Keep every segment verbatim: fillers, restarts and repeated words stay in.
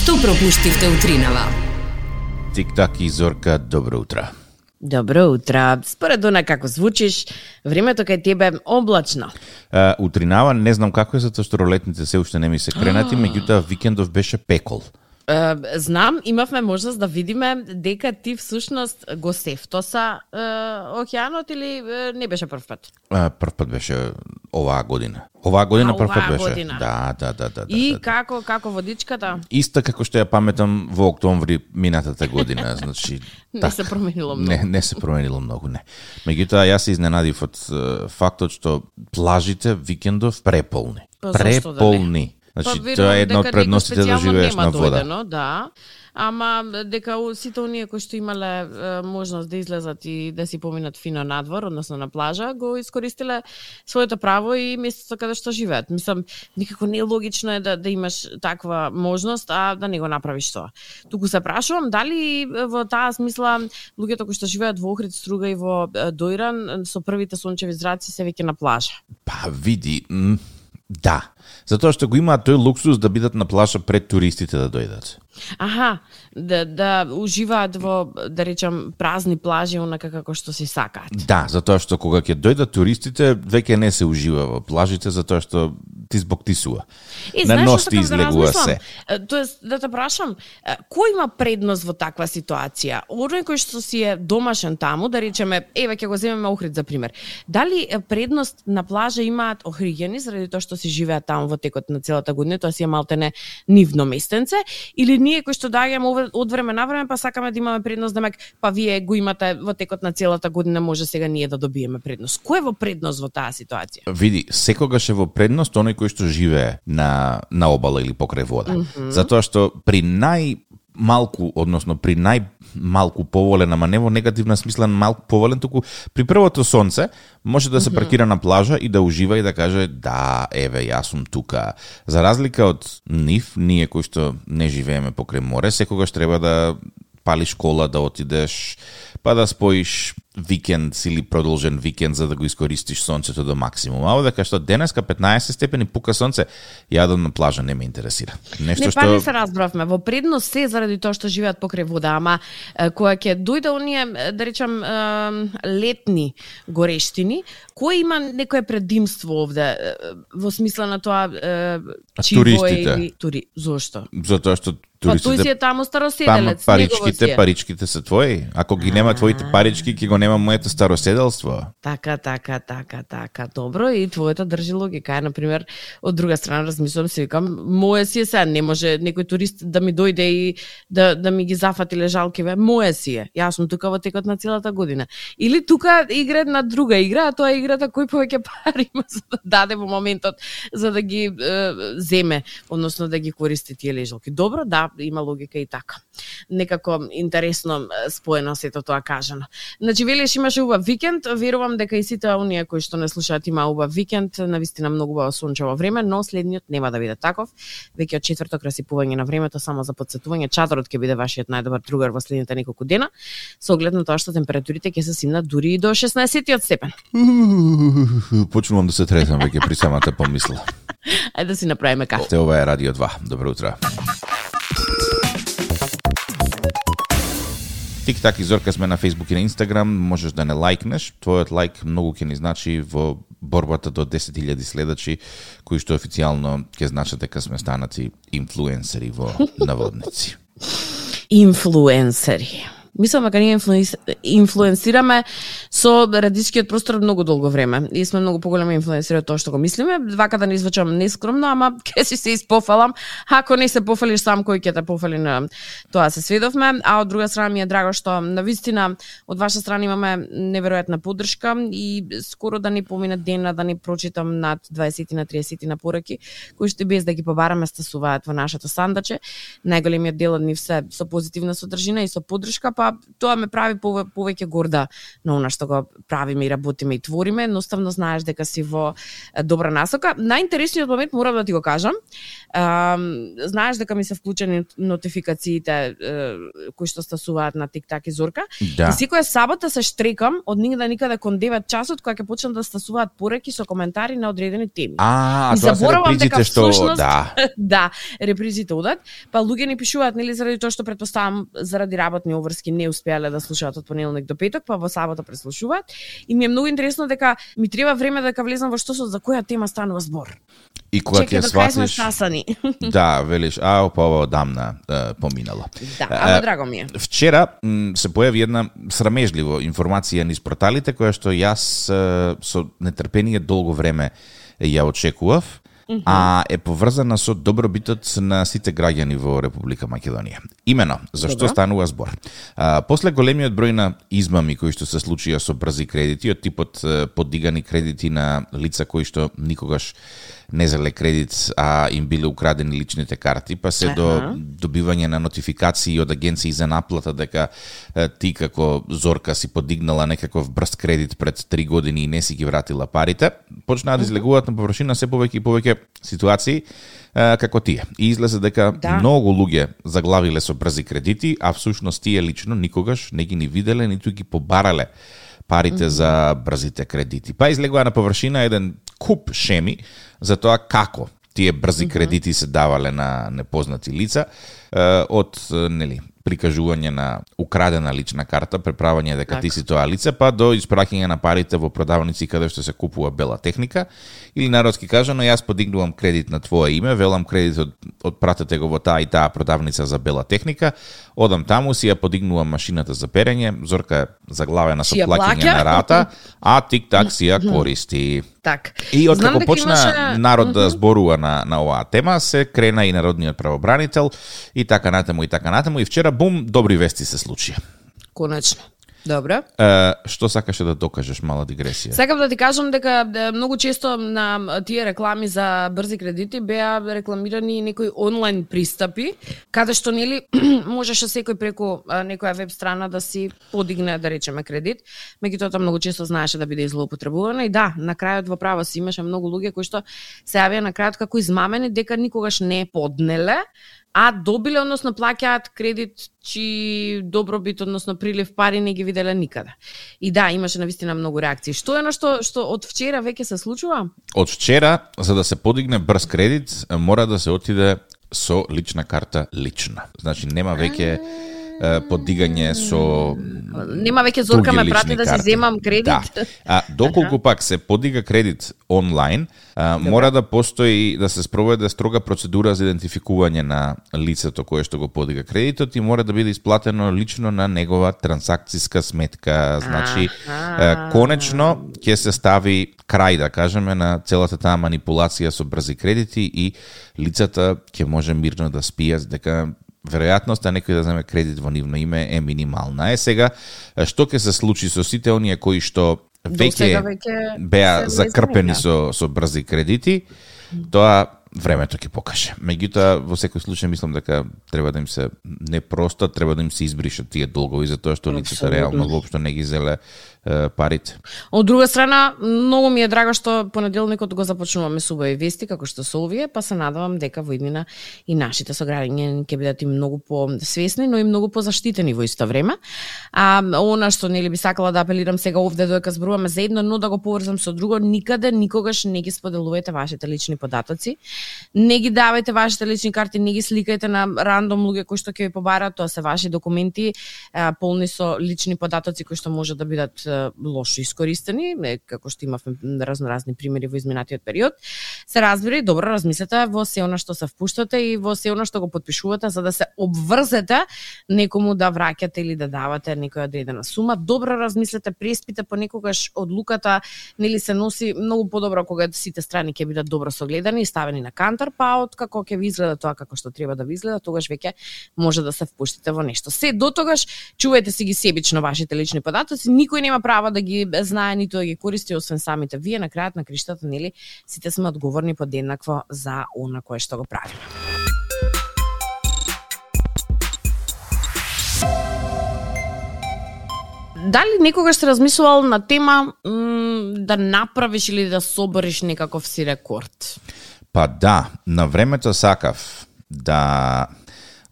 Што пропуштивте утринава? Тик-так и Зорка, добро утро. Добро утро. Според она како звучиш, времето кај тебе е облачно. Uh, утринава не знам како е, затоа што ролетните се уште не ми се кренати, меѓутоа викендов беше пекол. Uh, знам, имавме можност да видиме дека ти всушност го сефтоса uh, океанот или uh, не беше прв пат? Uh, прв пат беше оваа година. Оваа година А, прв пат оваа беше. година. Да, да, да, да. И да, да. како како водичката? Иста како што ја паметам во октомври минатата година, значи Не так, се променило многу. Не, не се променило многу, не. Меѓутоа јас се изненадив од uh, фактот што плажите викендов преполни. Па, зашто да не? Преполни. Значи, Па, тоа е една верувам од дека предностите некој да живееш специјално на нема вода. дојдено, да. Ама дека у- сите оние кои што имале е, можност да излезат и да си поминат фино надвор, односно на плажа, го искористиле своето право и местото каде што живеат. Мислам, никако не е логично е да, да имаш таква можност, а да не го направиш тоа. Туку се прашувам дали во таа смисла луѓето кои што живеат во Охрид, Струга и во е, Дојран со првите сончеви зраци се веќе на плажа. Па види, м, да. Затоа што го имаат тој луксус да бидат на плажа пред туристите да дојдат. Аха, да, да уживаат во, да речам, празни плажи, онака како што си сакаат. Да, затоа што кога ќе дојдат туристите, веќе не се ужива во плажите, затоа што ти збоктисува. Е, На знаеш нос што ти сакам да излегува размислам? се. Е, Тоест, да те прашам, е, кој има предност во таква ситуација? Оној кој што си е домашен таму, да речеме, еве ќе го земеме Охрид за пример. Дали е, предност на плажа имаат охриѓани заради тоа што си живеат таму во текот на целата година, тоа си е малтене нивно местенце, или ние кои што доаѓаме овде од време на време, па сакаме да имаме предност, демек, па вие го имате во текот на целата година, може сега ние да добиеме предност. Кој е во предност во таа ситуација? Види, секогаш е во предност оној кој што живее на на обала или покрај вода. Mm -hmm. Затоа што при нај малку, односно при најмалку поволен, ама не во негативна смисла малку поволен, туку при првото сонце може да се паркира на плажа и да ужива и да каже да, еве, јас сум тука. За разлика од нив, ние кои што не живееме покрај море, секогаш треба да палиш кола, да отидеш, па да споиш викенд или продолжен викенд за да го искористиш сонцето до максимум. А овде кај што денеска петнаесет степени пука сонце, јадам на плажа не ме интересира. Нешто Не, што па не се разбравме. Во предност се заради тоа што живеат покрај вода, ама е, кога ќе дојде оние, е, да речам, е, летни горештини, кој има некое предимство овде е, во смисла на тоа е, чиво туристите. или тури? Зошто? затоа што Па тој си туристите е таму Пама староседелец, негово си паричките, е. паричките се твои. Ако ги нема твоите парички, ќе го нема моето староседелство. Така, така, така, така. Добро, и твојата држи логика. Е, например, од друга страна размислувам се викам, мое си е сега, не може некој турист да ми дојде и да да ми ги зафати лежалкиве, мое си е. Јас сум тука во текот на целата година. Или тука игра на друга игра, а тоа е играта кој повеќе пари има за да даде во моментот за да ги е, земе, односно да ги користи тие лежалки. Добро, да, има логика и така. Некако интересно е, споено сето тоа кажано. Значи, велиш имаше убав викенд, верувам дека и сите оние кои што не слушаат има убав викенд, навистина многу убаво сончево време, но следниот нема да биде таков. Веќе од четврток расипување на времето, само за потсетување, чадорот ќе биде вашиот најдобар другар во следните неколку дена, со оглед на тоа што температурите ќе се симнат дури и до шеснаесеттиот степен. Почнувам да се тресам веќе при самата помисла. Ајде да си направиме кафе. Те ова е Радио два. Добро утро. Тик-так и Зорка сме на Facebook и на Instagram, можеш да не лайкнеш. Твојот лайк многу ќе ни значи во борбата до десет илјади следачи, кои што официјално ќе значат дека сме станати инфлуенсери во наводници. Инфлуенсери. Мислам дека ние инфлуенс... инфлуенсираме со радискиот простор многу долго време и сме многу поголеми инфлуенсери од тоа што го мислиме. Вака да не извучам нескромно, ама ќе си се испофалам. Ако не се пофалиш сам, кој ќе те пофали на тоа се сведовме. А од друга страна ми е драго што навистина од ваша страна имаме неверојатна поддршка и скоро да не помине ден да не прочитам над дваесет на триесет на пораки кои што без да ги побараме стасуваат во нашето сандаче. Најголемиот дел од нив се со позитивна содржина и со поддршка, па тоа ме прави повеќе горда на она што го правиме и работиме и твориме. Едноставно знаеш дека си во добра насока. Најинтересниот момент морам да ти го кажам. А, знаеш дека ми се вклучени нотификациите кои што стасуваат на TikTok и Зорка. Да. И секоја сабота се штрекам од нигде никаде кон девет часот кога ќе почнат да стасуваат пореки со коментари на одредени теми. А, и тоа се репризите што всушност, да. да, репризите одат. Па луѓе ни пишуваат нели заради тоа што претпоставам заради работни обврски не успеале да слушаат од понеделник до петок, па во сабота преслушуваат. И ми е многу интересно дека ми треба време дека влезам во што со за која тема станува збор. И кога ќе сватиш, да, велиш, а па ова одамна е, поминало. Да, ама драго ми е. Вчера м, се појави една срамежливо информација низ порталите која што јас е, со нетрпение долго време ја очекував. Mm-hmm. А е поврзана со добробитот на сите граѓани во Република Македонија. Имено, зашто Добро. станува збор? А, после големиот број на измами кои што се случија со брзи кредити, од типот подигани кредити на лица кои што никогаш не зале кредит, а им биле украдени личните карти, па се uh-huh. до добивање на нотификации од агенции за наплата дека е, ти како Зорка си подигнала некаков брз кредит пред три години и не си ги вратила парите, почнаа да излегуваат на површина се повеќе и повеќе ситуации е, како тие. И излезе дека да. многу луѓе заглавиле со брзи кредити, а всушност тие лично никогаш не ги ни виделе, ниту ги побарале парите mm-hmm. за брзите кредити. Па излегува на површина еден куп шеми за тоа како тие брзи mm-hmm. кредити се давале на непознати лица, е, од нели прикажување на украдена лична карта, преправање дека так. ти си тоа лице, па до испраќање на парите во продавници каде што се купува бела техника, или народски кажано, јас подигнувам кредит на твое име, велам кредит од, од пратете го во таа и таа продавница за бела техника, одам таму, си ја подигнувам машината за перење, Зорка е заглавена со плаќање на рата, а TikTok си ја користи. Так. И откако почна имаше... народ да зборува на, на оваа тема, се крена и народниот правобранител и така натаму и така натаму и вчера бум, добри вести се случија. Конечно. Добро. Е, што сакаше да докажеш, мала дигресија? Сакам да ти кажам дека да, многу често на тие реклами за брзи кредити беа рекламирани некои онлайн пристапи, каде што нели можеше секој преку некоја веб страна да си подигне, да речеме, кредит, меѓутоа многу често знаеше да биде злоупотребувано и да, на крајот во право си имаше многу луѓе кои што се јавија на крајот како измамени дека никогаш не поднеле, а добиле, односно плаќаат кредит чии добробит, односно прилив пари не ги виделе никаде. И да, имаше навистина многу реакции. Што е на што што од вчера веќе се случува? Од вчера, за да се подигне брз кредит, мора да се отиде со лична карта лично. Значи нема веќе подигање со нема веќе Зорка ме прати да си земам кредит. Да. А доколку пак се подига кредит онлайн, а, мора да постои да се спроведе строга процедура за идентификување на лицето кое што го подига кредитот и мора да биде исплатено лично на негова трансакциска сметка. Значи а, конечно ќе се стави крај, да кажеме, на целата таа манипулација со брзи кредити и лицата ќе може мирно да спијат дека веројатноста некој да земе кредит во нивно име е минимална. Е сега, што ќе се случи со сите оние кои што веќе беа закрпени со, со брзи кредити, тоа времето ќе покаже. Меѓутоа, во секој случај мислам дека треба да им се не просто, треба да им се избришат тие долгови, затоа што лицата реално воопшто не ги зеле е, парите. Од друга страна, многу ми е драго што понеделникот го започнуваме со убави вести, како што се овие, па се надевам дека во иднина и нашите сограѓани ќе бидат и многу посвесни, но и многу позаштитени во исто време. А она што нели би сакала да апелирам сега овде додека зборуваме за едно, но да го поврзам со друго, никаде никогаш не ги споделувајте вашите лични податоци. Не ги давајте вашите лични карти, не ги сликајте на рандом луѓе кои што ќе ви побараат, тоа се ваши документи, полни со лични податоци кои што може да бидат лошо искористени, како што имавме разноразни примери во изминатиот период. Се разбира и добро размислете во се она што се впуштате и во се она што го потпишувате за да се обврзете некому да враќате или да давате некоја одредена сума. Добро размислете, преспите понекогаш одлуката, нели се носи многу подобро кога сите страни ќе бидат добро согледани и ставени на кантар, па од како ќе ви изгледа тоа како што треба да ви изгледа, тогаш веќе може да се впуштите во нешто. Се до тогаш чувајте си ги себично вашите лични податоци, никој нема право да ги знае ниту да ги користи освен самите вие. На крајот на криштата, нели, сите сме одговорни подеднакво за она кое што го правиме. Дали некогаш се размислувал на тема м, да направиш или да собориш некаков си рекорд? Па да, на времето сакав да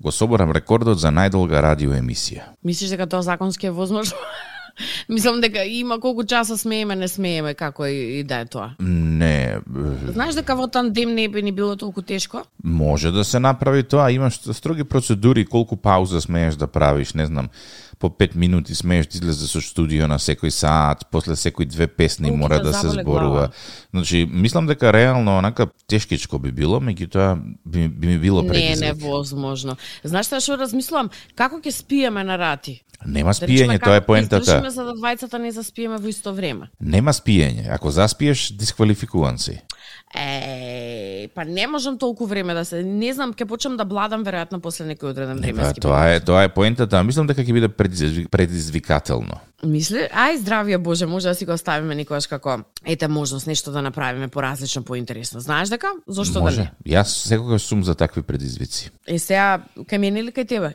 го соборам рекордот за најдолга радио емисија. Мислиш дека тоа законски е возможно? Мислам дека има колку часа смееме, не смееме, како и, и да е тоа. Не. Знаеш дека во тандем не би ни било толку тешко? Може да се направи тоа, имаш строги процедури, колку пауза смееш да правиш, не знам, по пет минути смееш да излезе со студио на секој саат, после секој две песни Колку мора да да се заболе зборува. глава. Значи, мислам дека реално онака тешкичко би било, меѓутоа би, би ми било Не, предизвик. невозможно. Знаеш што што размислувам? Како ќе спиеме на рати? Нема Да речеме, спиење, тоа е како ќе издржиме поентата. за да двајцата не заспиеме во исто време? Нема спиење. Ако заспиеш, дисквалификуван си. Е, па не можам толку време да се, не знам, ќе почнам да бладам веројатно после некој одреден Па, временски. тоа е, тоа е поентата. Мислам дека ќе биде предизвик, предизвикателно. Мисли, ај здравје Боже, може да си го оставиме некогаш како ете можност нешто да направиме поразлично, поинтересно. Знаеш дека? Зошто Може. да не? Јас секогаш сум за такви предизвици. Е сега кај мене или кај тебе?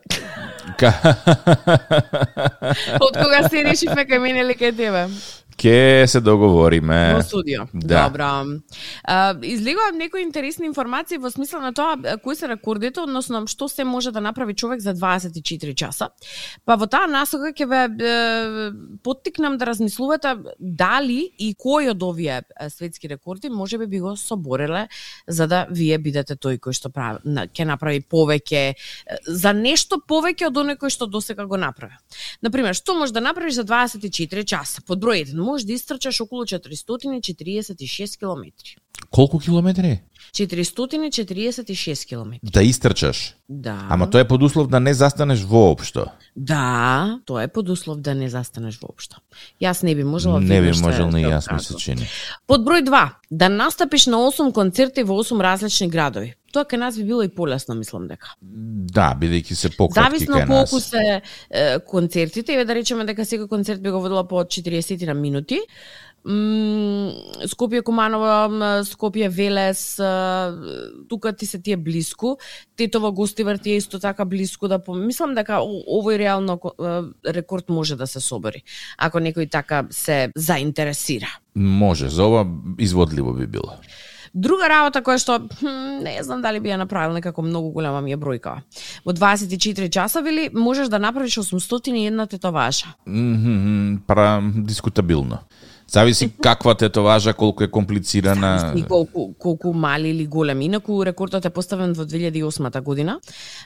Ка... Од кога се решивме кај мене или кај тебе? Ке се договориме. Во студио. Да. Добро. А, излегувам некои интересни информации во смисла на тоа а, кои се рекордите, односно што се може да направи човек за дваесет и четири часа. Па во таа насока ќе ве е, поттикнам да размислувате дали и кој од овие е, светски рекорди може би би го собореле за да вие бидете тој кој што прави, на, ќе направи повеќе е, за нешто повеќе од оној кој што досега го направи. Например, што можеш да направиш за дваесет и четири часа? Под број еден, можеш да истрчаш околу четиристотини и четириесет и шест километри. Колку километри? четиристотини и четириесет и шест километри. Да истрчаш. Да. Ама тоа е под услов да не застанеш воопшто. Да, тоа е под услов да не застанеш воопшто. Јас не би можела. Не би веднаш можел да ни го јас, ми кажам. се чини. Под број два, да настапиш на осум концерти во осум различни градови. Тоа кај нас би било и полесно, мислам дека. Да, бидејќи се пократки Зависно кај колку нас. се е, концертите, еве да речеме дека секој концерт би го водела по четириесет на минути. М, Скопје Куманово, м, Скопје Велес, е, тука ти се тие блиску. Тетово Гостивар ти е исто така блиску да пом... Мислам дека о- овој реално е, рекорд може да се собори, ако некој така се заинтересира. Може, за ова изводливо би било. Друга работа која што хм, не знам дали би ја направил, некако многу голема ми е бројка. Во дваесет и четири часа вели можеш да направиш осумстотини и една тетоважа. Мгм, Пара дискутабилно. Зависи каква тетоважа, колку е комплицирана. Зависи колку, колку мали или големи. Инаку рекордот е поставен во две илјади и осма година.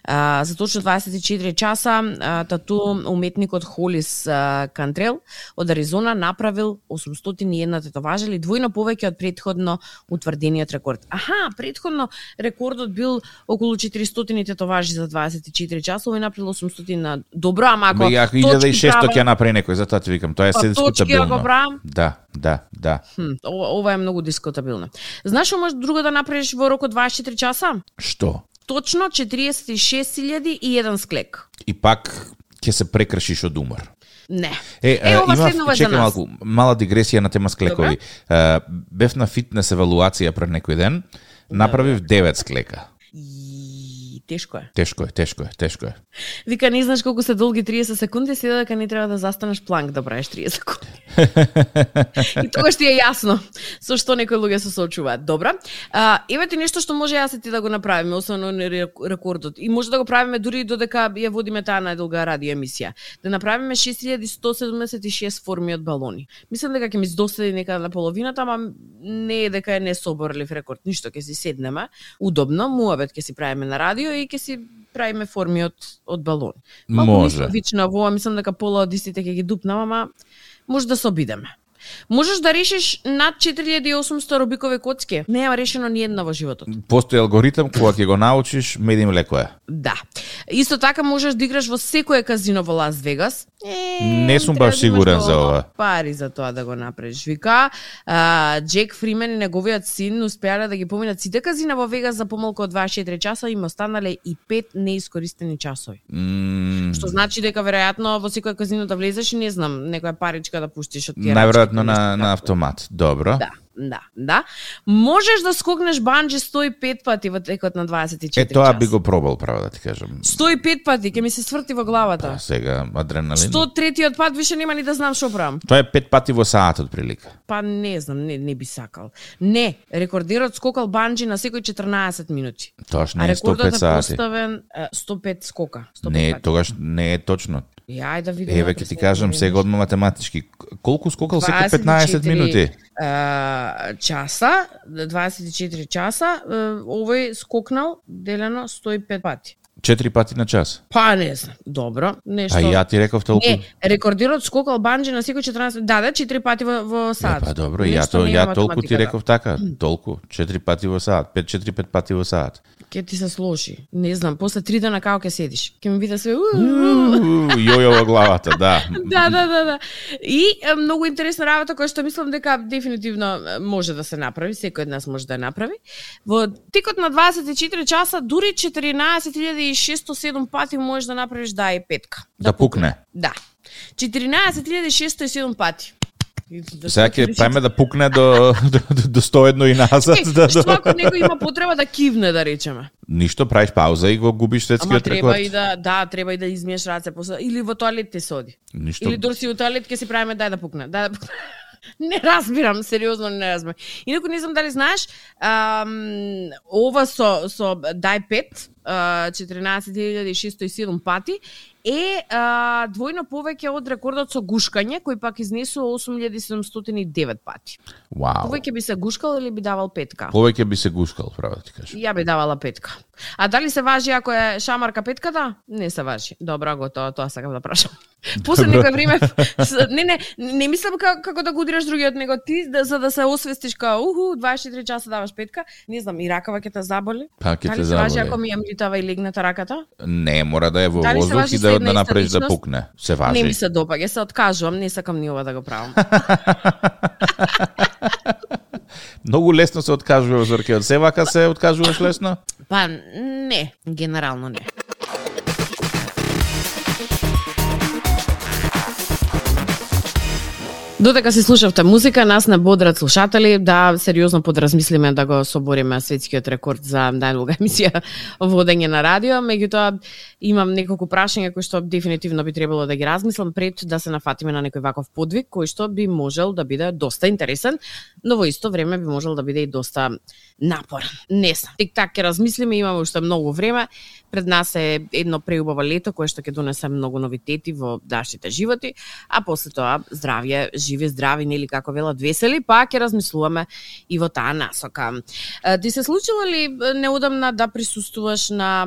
А, за точно дваесет и четири часа а, тату уметникот Холис а, Кантрел од Аризона направил осумстотини и една тетоважа или двојно повеќе од претходно утврдениот рекорд. Аха, претходно рекордот бил околу четиристотини тетоважи за дваесет и четири часа, овој направил осумстотини. На... Добро, ама ако Бе, ако илјада и шестоста ќе права- направи некој, затоа ти викам, тоа е Па, се точки дискутабилно. ако правам? Да, да, да. Хм, ова, ова е многу дискутабилно. Знаеш што можеш друго да направиш во рок од дваесет и четири часа? Што? Точно четириесет и шест илјади и еден склек. И пак ќе се прекршиш од умор. Не. Е, Е, ова има, следново е за чекай нас. малку, мала дигресија на тема склекови. Е, бев на фитнес евалуација пред некој ден, направив девет склека. И тешко е. Тешко е, тешко е, тешко е. Вика, не знаеш колку се долги триесет секунди, седа дека не треба да застанеш планк да правиш триесет секунди. И тогаш ти е јасно со што некои луѓе се соочуваат. Добра. А, еве ти нешто што може јас и ти да го направиме, освен оној рекордот. И може да го правиме дури додека ја водиме таа најдолга радио емисија. Да направиме шест илјади сто седумдесет и шест форми од балони. Мислам дека ќе ми здоседи некаде на половината, ама не е дека е не соборлив рекорд. Ништо, ќе си седнеме, удобно, муабет ќе си правиме на радио и ќе си правиме форми од од балони. Може. Вично во ова, мислам дека пола од истите ќе ги дупнам, ама може да се обидеме. Можеш да решиш над четири илјади и осумсто рубикови коцки. Нема решено ни една во животот. Постои алгоритам, кога ќе го научиш, медим леко е. Да. Исто така можеш да играш во секое казино во Лас Вегас. Е, Не сум треба баш да имаш сигурен за доволно ова. Пари за тоа да го направиш. Вика, а, Джек Фримен и неговиот син успеале да ги поминат сите казина во Вегас за помалку од дваесет и четири часа и им останале и пет неискористени часови. М, Што значи дека веројатно во секој казино да влезеш и не знам, некоја паричка да пуштиш од тие Најверојатно рачки, на, нешто на такво. автомат. Добро. Да. да, да. Можеш да скокнеш банџи сто и пет пати во текот на дваесет и четири Е, тоа часа. би го пробал, право да ти кажам. сто и пет пати, ќе ми се сврти во главата. Па, сега, адреналин. сто и третиот пат више нема ни да знам што правам. Тоа е пет пати во саат, од прилика. Па не знам, не, не би сакал. Не, рекордерот скокал банџи на секој четрнаесет минути. Тоа не А е сто и пет рекордот е сати. поставен е, сто и пет скока. сто и пет Не, пати. тогаш не е точно. Ја, ајде да видиме. Еве ќе ти кажам сега одма математички. Колку скокал секој дваесет и петнаесет четири, минути? е, часа, дваесет и четири часа, е, овој скокнал делено сто и пет пати. четири пати на час. Па не знам, добро, нешто. А ја ти реков толку. Не, рекордерот скокал банџи на секој четрнаесет, да, да, четири пати во, во Е, саат. па добро, ја Нешто то не е ја толку ти математиката. реков така, толку, четири пати во саат, пет четири пет пати во саат. Ке ти се сложи. Не знам, после три дена како ќе седиш. Ке ми биде све. Јојо во главата, да. Да, да, да, да. И е, многу интересна работа која што мислам дека дефинитивно е, може да се направи, секој од нас може да ја направи. Во текот на дваесет и четири часа дури четиринаесет илјади и шесто и седум пати можеш да направиш да е петка. Да пукне. Да. четиринаесет илјади и шесто и седум пати. Да Сега ќе праиме да пукне до, до, до, до сто и едно и назад. Е, Да, што да. ако некој има потреба да кивне, да речеме? Ништо, правиш пауза и го губиш Ама светскиот треба рекорд. и да, да, треба и да измиеш раце после, или во тоалет ти се оди. Ништо. Или дори си во тоалет ќе си правиме дај да пукне, дај да пукне. Не разбирам, сериозно не разбирам. Инаку не знам дали знаеш, ам, ова со со дај пет, четиринаесет илјади и шесто и седум пати е а, двојно повеќе од рекордот со гушкање, кој пак изнесува осум илјади седумстотини и девет пати. Вау. Повеќе би се гушкал или би давал петка? Повеќе би се гушкал, право да ти кажам. Ја би давала петка. А дали се важи ако е шамарка петката? Не се важи. Добро, готово, тоа сакам да прашам. После Добро. некој време, с- не, не, не мислам како, како да го удираш другиот, него ти да, за да се освестиш као, уху, дваесет и четири часа даваш петка, не знам, и ракава ќе те заболи? Па ќе те Дали се важи ако заболи. ми ја млитава и легната раката? Не, мора да е во Дали се воздух важи и за да една да иста направиш да личност? пукне. Се важи. Не ми се допаѓа, се откажувам, не сакам ни ова да го правам. Многу лесно се откажува Зорке од севака се откажуваш лесно? Па не, генерално не. Додека се слушавте музика, нас не бодрат слушатели да сериозно подразмислиме да го собориме светскиот рекорд за најдолга емисија водење на радио. Меѓутоа, имам неколку прашања кои што дефинитивно би требало да ги размислам пред да се нафатиме на некој ваков подвиг, кој што би можел да биде доста интересен, но во исто време би можел да биде и доста напорен. Не знам. Тик-так ќе размислиме, имаме уште многу време. Пред нас е едно преубаво лето кое што ќе донесе многу новитети во нашите животи, а после тоа здравје, живи здрави, нели како велат весели, па ќе размислуваме и во таа насока. Е, Ти се случило ли неодамна да присуствуваш на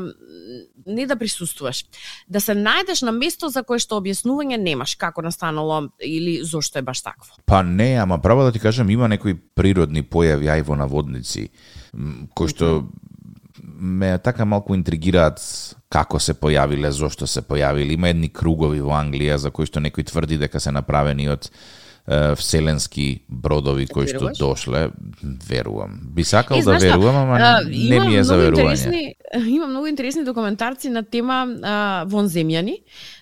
не да присуствуваш, да се најдеш на место за кое што објаснување немаш како настанало или зошто е баш такво? Па не, ама право да ти кажам, има некои природни појави ај во наводници, м, кои што ме така малку интригираат како се појавиле, зошто се појавиле. Има едни кругови во Англија за кои што некој тврди дека се направени од е, вселенски бродови кои што Веруваш? дошле. Верувам. Би сакал Е, да знаеш што, верувам, ама а, не има ми е за многу верување. интересни- Има многу интересни документарци на тема а, вонземјани.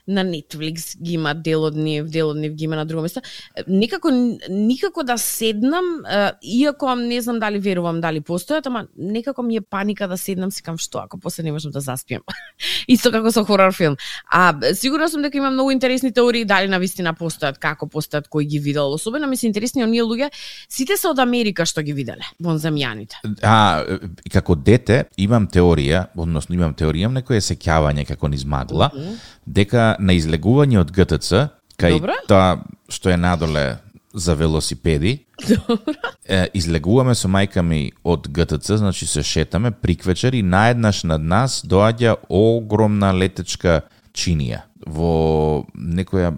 На Netflix ги има дел од нив, дел од нив ги има на друго место. Никако никако да седнам, а, иако не знам дали верувам дали постојат, ама некако ми е паника да седнам, си кам што ако после не можам да заспиам. Исто како со хорор филм. А сигурно сум дека има многу интересни теории дали навистина постојат, како постојат, кој ги видел. Особено ми се интересни оние луѓе, сите се од Америка што ги виделе, вонземјаните. А, и како дете имам теорија, односно имам теорија, имам некое сеќавање како низ магла, Мгм. дека на излегување од Г Т Ц, кај Добро. тоа што е надоле за велосипеди, е, излегуваме со мајка ми од Г Т Ц, значи се шетаме приквечер и наеднаш над нас доаѓа огромна летечка чинија во некоја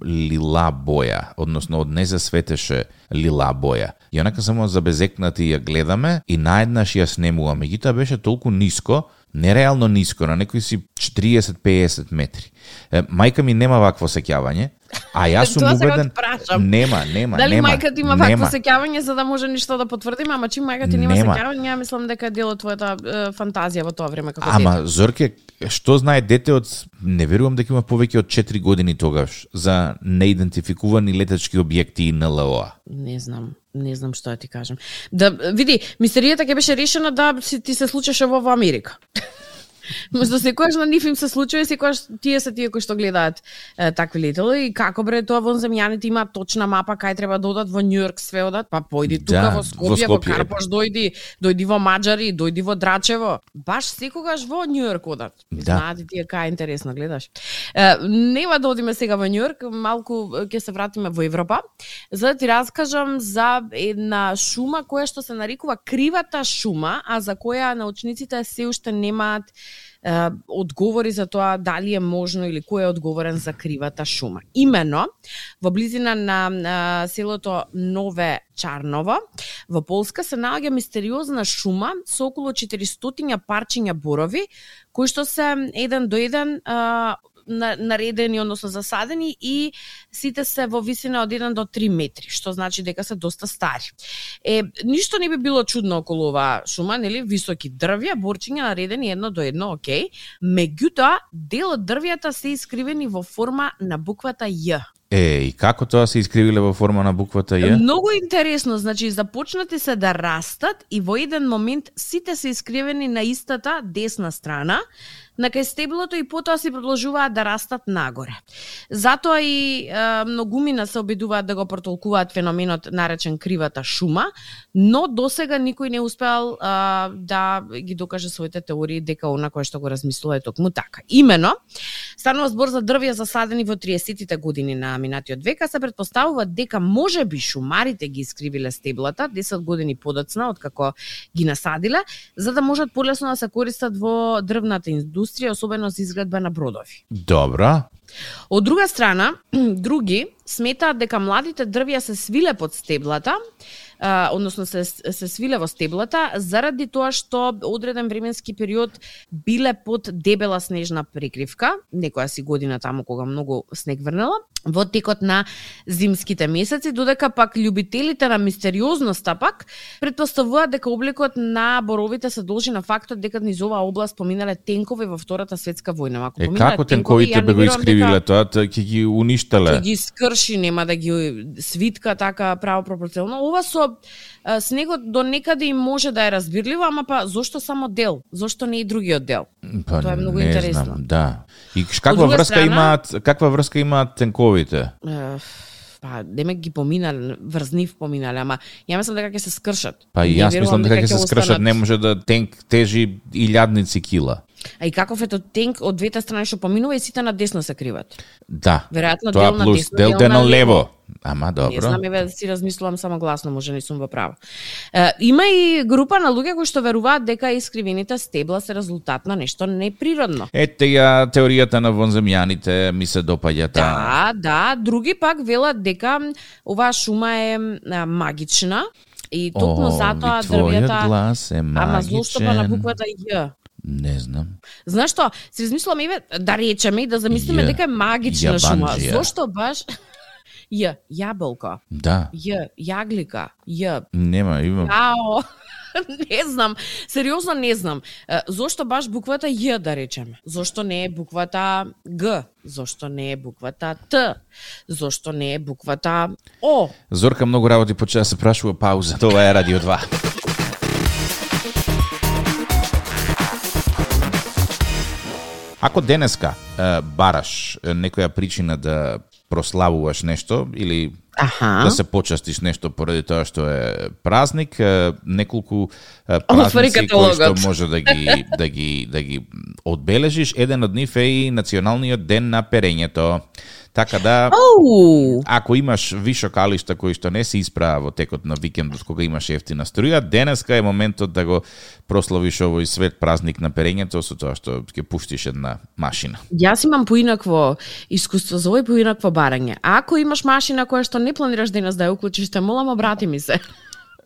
лила боја, односно од не се светеше лила боја. И онака само забезекнати ја гледаме и наеднаш ја снемуваме. Меѓутоа беше толку ниско, нереално ниско, на некои си четириесет до пеесет метри. Е, мајка ми нема вакво сеќавање, а јас сум Тоа сега убеден... те прашам. Нема, нема, Дали нема. мајка ти има нема. вакво сеќавање за да може ништо да потврдиме, ама чим мајка ти нема Нема. сеќавање, ја мислам дека е дел од твојата е, фантазија во тоа време како Ама, дете. Зорке, што знае дете од... Не верувам дека има повеќе од четири години тогаш за неидентификувани летачки објекти и Н Л О-а. Не знам. не знам што да ти кажам. Да види, мистеријата ќе беше решена да си ти се случеше во Америка. Можда секогаш на нив им се случува и секогаш тие се тие кои што гледаат е, такви летели и како бре тоа вонземјаните имаат точна мапа кај треба да одат во Њујорк све одат, па појди тука да, во Скопје, во, во Карпош дојди, дојди во Маџари, дојди во Драчево. Баш секогаш во Њујорк одат. Да. Знаат тие кај е интересно гледаш. Е, нема да одиме сега во Њујорк, малку ќе се вратиме во Европа, за да ти раскажам за една шума која што се нарекува кривата шума, а за која научниците се уште немаат Uh, одговори за тоа дали е можно или кој е одговорен за кривата шума. Имено, во близина на, на селото Нове Чарново, во Полска се наоѓа мистериозна шума со околу четиристотини парчиња борови, кои што се еден до еден uh, наредени, односно засадени и сите се во висина од еден до три метри, што значи дека се доста стари. Е, ништо не би било чудно околу оваа шума, нели, високи дрвја, борчиња наредени едно до едно, окей. Меѓутоа, дел од дрвјата се искривени во форма на буквата Ј. Е, и како тоа се искривиле во форма на буквата Ј? Многу интересно, значи започнати се да растат и во еден момент сите се искривени на истата десна страна, на кај стеблото и потоа се продолжуваат да растат нагоре. Затоа и е, многумина се обидуваат да го протолкуваат феноменот наречен кривата шума, но досега никој не успеал е, да ги докаже своите теории дека она кое што го размислува е токму така. Имено, станува збор за дрвја засадени во триесеттите години на минатиот век, а се претпоставува дека можеби шумарите ги искривиле стеблата десет години подоцна од како ги насадиле, за да можат полесно да се користат во дрвната индустрија, особено за изградба на бродови. Добра. Од друга страна, други сметаат дека младите дрвја се свиле под стеблата, а, односно се, се свиле во стеблата, заради тоа што одреден временски период биле под дебела снежна прекривка, некоја си година таму кога многу снег врнела, во текот на зимските месеци, додека пак љубителите на мистериозноста пак претпоставуваат дека обликот на боровите се должи на фактот дека низ оваа област поминале тенкови во Втората светска војна. Ако е, како тенковите бе го искривиле тоа, ќе ги уништеле? Ќе ги скрши, нема да ги свитка така право пропорционално. Ова со а, снегот до некаде и може да е разбирливо, ама па зошто само дел? Зошто не и другиот дел? Па, тоа е многу не интересно. Знам, да. И каква врска страна, имаат, каква врска имаат тенковите? Uh, па, деме ги поминале, врз нив поминале, ама ја мислам дека ќе се скршат. Па и јас мислам дека ќе се скршат, не може да тенк тежи илјадници кила. А и каков е тоа тенк од двете страни што поминува и сите на десно се криват? Да. Веројатно тоа дел на плюс, десно, дел, дел на лево. Ама добро. Не знам, еве си размислувам само гласно, може не сум во право. Е, има и група на луѓе кои што веруваат дека искривените стебла се резултат на нешто неприродно. Ете ја теоријата на вонземјаните ми се допаѓа таа. Да, да, други пак велат дека оваа шума е а, магична и токму затоа дрвјата глас е магичен. Ама зошто па на буквата Ј? Не знам. Знаеш што, си размислувам еве да речеме и да замислиме дека е магична шума. Зошто баш Ј, јаболка. Да. Ј, јаглика. Ј. Нема, има. Ао. Не знам, сериозно не знам. Зошто баш буквата Ј да речеме? Зошто не е буквата Г? Зошто не е буквата Т? Зошто не е буквата О? Зорка многу работи почна да се прашува пауза. Тоа е Радио два. Ако денеска е, бараш некоја причина да прославуваш нешто или Аха. да се почастиш нешто поради тоа што е празник, е, неколку е, празници кои што може да ги да ги да ги одбележиш, еден од нив е и националниот ден на перењето. Така да, oh. ако имаш вишокалишта кои што не се испраа во текот на викендот кога имаш ефтина струја, денеска е моментот да го прославиш овој свет празник на перењето со тоа што ќе пуштиш една машина. Јас имам поинакво искуство за овој поинакво барање. Ако имаш машина која што не планираш денес да ја уклучиш, те молам, обрати ми се.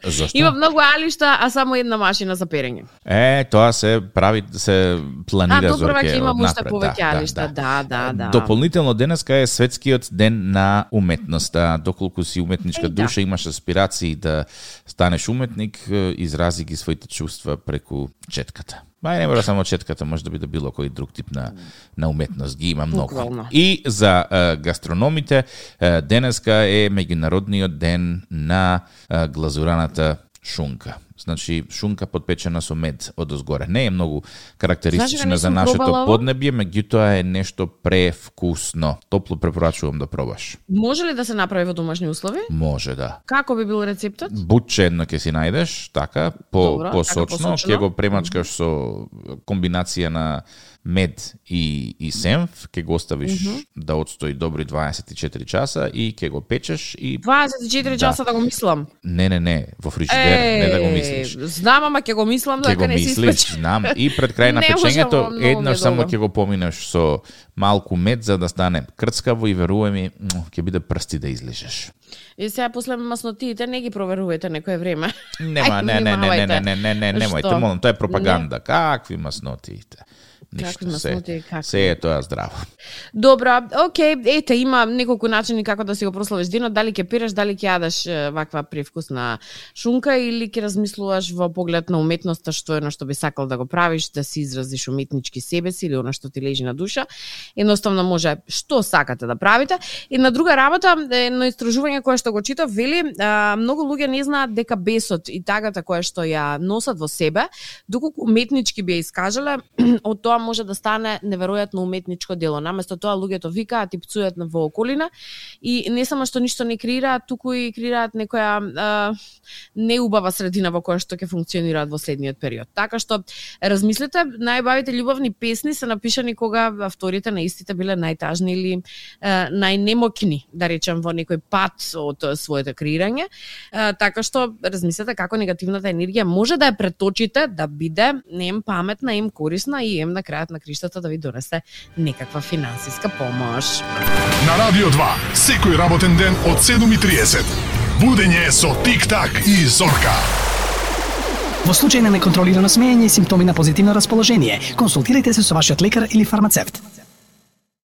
Зошто? Има многу алишта, а само една машина за перење. Е, тоа се прави, се планира за Зорке. А, добро, ќе имам уште напред, повеќе да, алишта, да, да, да. Дополнително денеска е светскиот ден на уметноста. Доколку си уметничка Е, да. душа, имаш аспирации да станеш уметник, изрази ги своите чувства преку четката. Мај не мора само четката, може да биде било кој друг тип на, на уметност, ги има многу. Буквално. И за е, гастрономите, е, денеска е меѓународниот ден на е, глазураната шунка. Значи, шунка подпечена со мед одозгоре. Не е многу карактеристична значи, за нашето пробала, поднебје, меѓутоа е нешто превкусно. Топло препорачувам да пробаш. Може ли да се направи во домашни услови? Може, да. Како би бил рецептот? Бутче едно ќе си најдеш, така, по, Добро, посочно, така ќе го премачкаш со комбинација на мед и, и сенф, ќе го оставиш mm -hmm. да отстои добри дваесет и четири часа и ќе го печеш и... дваесет и четири часа да го мислам? Не, не, не, во фрижидер, не да го мислиш. Знам, ама ќе го мислам дека не си мислиш, знам, и пред крај на печењето еднаш само ќе го поминеш со малку мед за да стане крцкаво и верувај ми, ќе биде прсти да излижеш. И сега после маснотиите не ги проверувајте некое време. Нема, не, не, не, не, не, не, не, не, немојте, молам, тоа е пропаганда. Не. Какви маснотиите? Ништо, се, се е тоа здраво. Добро, окей, ете, има неколку начини како да си го прославиш денот, дали ќе пираш, дали ќе јадеш ваква привкусна шунка или ќе размислуваш во поглед на уметноста што е на што би сакал да го правиш, да си изразиш уметнички себе си или она што ти лежи на душа. Едноставно може што сакате да правите. И на друга работа, едно истражување кое што го читав, вели, а, многу луѓе не знаат дека бесот и тагата која што ја носат во себе, доколку уметнички би ја искажале, од тоа може да стане неверојатно уметничко дело. Наместо тоа луѓето викаат и пцујат во околина и не само што ништо не креираат, туку и креираат некоја а, неубава средина во која што ќе функционираат во следниот период. Така што размислете, најбавите љубовни песни се напишани кога авторите на истите биле најтажни или а, најнемокни, да речем, во некој пат од своето креирање. А, така што размислете како негативната енергија може да ја преточите да биде не ем паметна, ем корисна и ем на крајот на криштата да ви донесе некаква финансиска помош. На Радио два, секој работен ден од седум и триесет. Будење со Тик-так и Зорка. Во случај на неконтролирано смеење и симптоми на позитивно расположение, консултирайте се со вашиот лекар или фармацевт.